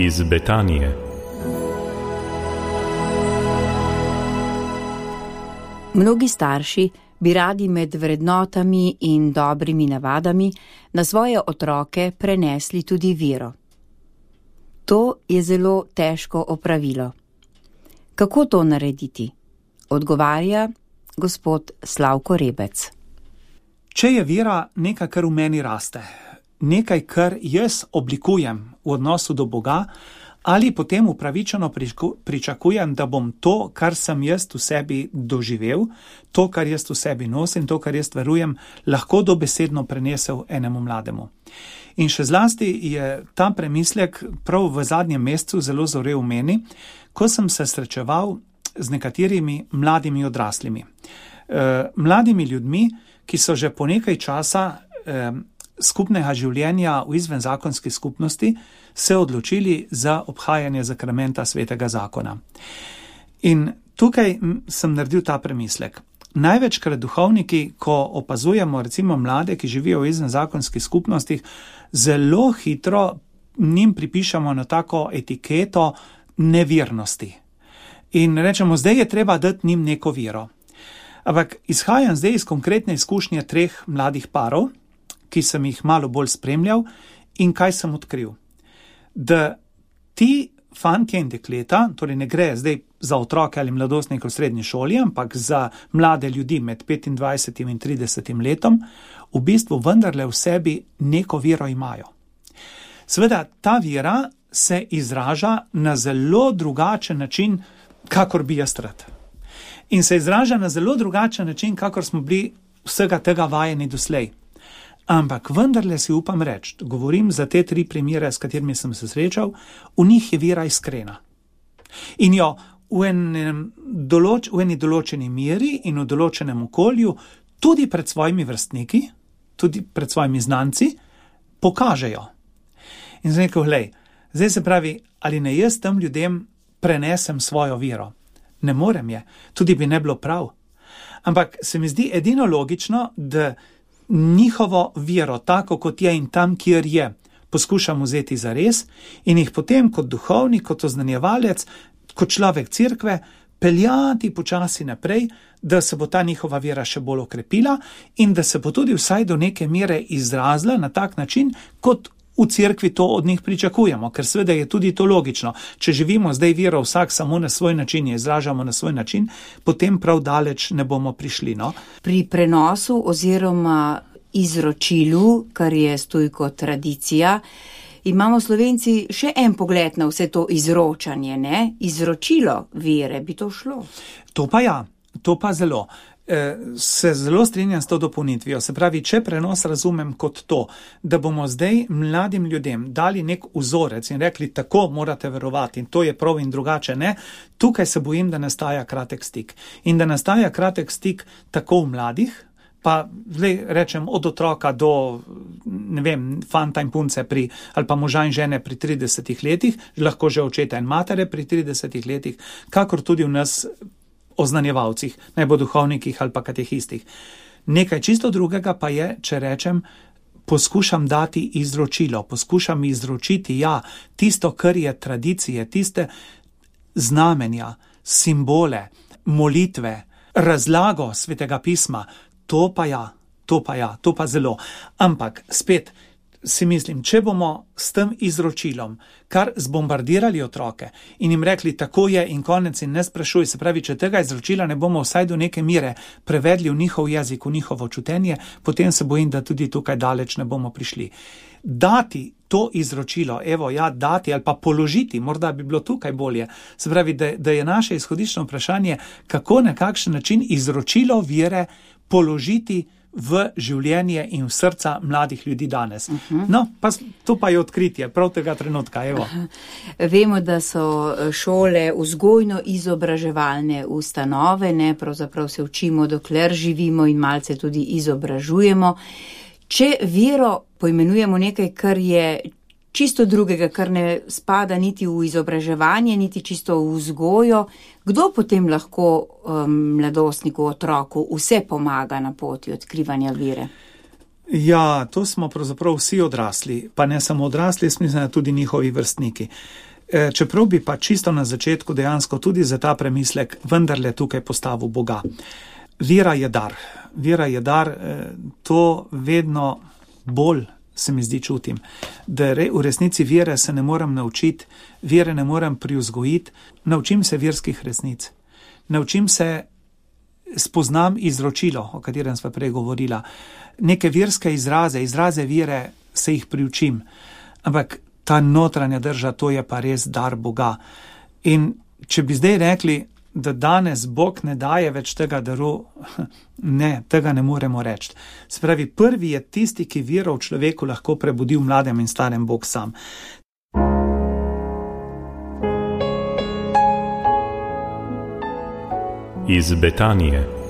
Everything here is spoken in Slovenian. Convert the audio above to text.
iz Betanije. Mnogi starši bi radi med vrednotami in dobrimi navadami na svoje otroke prenesli tudi vero. To je zelo težko opravilo. Kako to narediti? Odgovarja gospod Slavko Rebec. Če je vera nekaj, kar v meni raste, nekaj, kar jaz oblikujem v odnosu do Boga, ali potem upravičeno pričakujem, da bom to, kar sem jaz v sebi doživel, to, kar jaz v sebi nosim, to, kar jaz verujem, lahko dobesedno prenesel enemu mlademu. In še zlasti je ta premislek prav v zadnjem mesecu zelo zorel v meni, ko sem se srečeval z nekaterimi mladimi odraslimi. Mladimi ljudmi, ki so že po nekaj časa skupnega življenja v izvenzakonski skupnosti se odločili za obhajanje zakramenta svetega zakona. In tukaj sem naredil ta premislek. Največkrat duhovniki, ko opazujemo recimo mlade, ki živijo v izvenzakonskih skupnostih, zelo hitro njim pripišemo na tako etiketo nevernosti. In rečemo, zdaj je treba dati njim neko vero. Ampak izhajam zdaj iz konkretne izkušnje 3 mladih parov, ki sem jih malo bolj spremljal in kaj sem odkril. Da ti fantje in dekleta, torej ne gre zdaj za otroke ali mladostnike v srednji šoli, ampak za mlade ljudi med 25 in 30 letom, v bistvu vendarle v sebi neko vero imajo. Seveda, ta vera se izraža na zelo drugačen način, kakor bi jaz rad. In se izraža na zelo drugačen način, kakor smo bili vsega tega vajeni doslej. Ampak vendarle si upam reči, govorim za te 3 primere, s katerimi sem se srečal, v njih je vera iskrena. In jo v eni določeni meri in v določenem okolju, tudi pred svojimi vrstniki, tudi pred svojimi znanci, pokažejo. In sem rekel, glej, zdaj se pravi, ali ne jaz tem ljudem prenesem svojo vero? Ne morem je, tudi bi ne bilo prav. Ampak se mi zdi edino logično, da njihovo vero, tako kot je in tam, kjer je, poskušam vzeti za res in jih potem kot duhovnik, kot oznanjevalec, kot človek cerkve, peljati počasi naprej, da se bo ta njihova vera še bolj okrepila in da se bo tudi vsaj do neke mere izrazila na tak način, kot v cerkvi to od njih pričakujemo, ker seveda je tudi to logično. Če živimo zdaj vero vsak samo na svoj način in izražamo na svoj način, potem prav daleč ne bomo prišli. No? Pri prenosu oziroma izročilu, kar je stojko tradicija, imamo Slovenci še en pogled na vse to izročanje, ne? Izročilo vere, bi to šlo? To pa ja, to pa zelo. Se zelo strinjam s to dopolnitvijo. Se pravi, če prenos razumem kot to, da bomo zdaj mladim ljudem dali nek vzorec in rekli, tako morate verovati in to je prav in drugače ne, tukaj se bojim, da nastaja kratek stik. In da nastaja kratek stik tako v mladih, pa zdaj rečem od otroka do, ne vem, fanta in punce ali pa moža in žene pri 30 letih, lahko že očeta in matere pri 30 letih, kakor tudi v nas oznanjevalcih, naj bo duhovnikih ali pa katehistih. Nekaj čisto drugega pa je, če rečem, poskušam dati izročilo, poskušam izročiti, tisto, kar je tradicije, tiste znamenja, simbole, molitve, razlago svetega pisma, to pa zelo. Ampak spet si mislim, če bomo s tem izročilom kar zbombardirali otroke in jim rekli, tako je in konec in ne sprašuj, se pravi, če tega izročila ne bomo vsaj do neke mere prevedli v njihov jezik, v njihovo čutenje, potem se bojim, da tudi tukaj daleč ne bomo prišli. Dati to izročilo, dati ali pa položiti, morda bi bilo tukaj bolje. Se pravi, da je naše izhodiščno vprašanje, kako na kakšen način izročilo vere položiti v življenje in v srca mladih ljudi danes. No, pa to pa je odkritje, prav tega trenutka, evo. Vemo, da so šole vzgojno-izobraževalne ustanove, ne, pravzaprav se učimo, dokler živimo in malce tudi izobražujemo. Če vero poimenujemo nekaj, kar je čisto drugega, kar ne spada niti v izobraževanje, niti čisto v vzgojo, kdo potem lahko mladostniku, otroku vse pomaga na poti odkrivanja vere? Ja, to smo pravzaprav vsi odrasli, pa ne samo odrasli, mislim, tudi njihovi vrstniki. čeprav bi pa čisto na začetku dejansko tudi za ta premislek vendarle tukaj postavil Boga. Vera je dar. Vera je dar, to vedno bolj se mi zdi čutim, da v resnici vere se ne morem naučiti, vere ne morem privzgojiti, naučim se verskih resnic. Naučim se, spoznam izročilo, o katerem sva prej govorila, neke verske izraze vere se jih priučim, ampak ta notranja drža, to je pa res dar Boga. In če bi zdaj rekli, da danes Bog ne daje več tega daru, ne, tega ne moremo reči. Spravi, prvi je tisti, ki vero v človeku lahko prebudi v mladem in starem, Bog sam. Iz Betanije.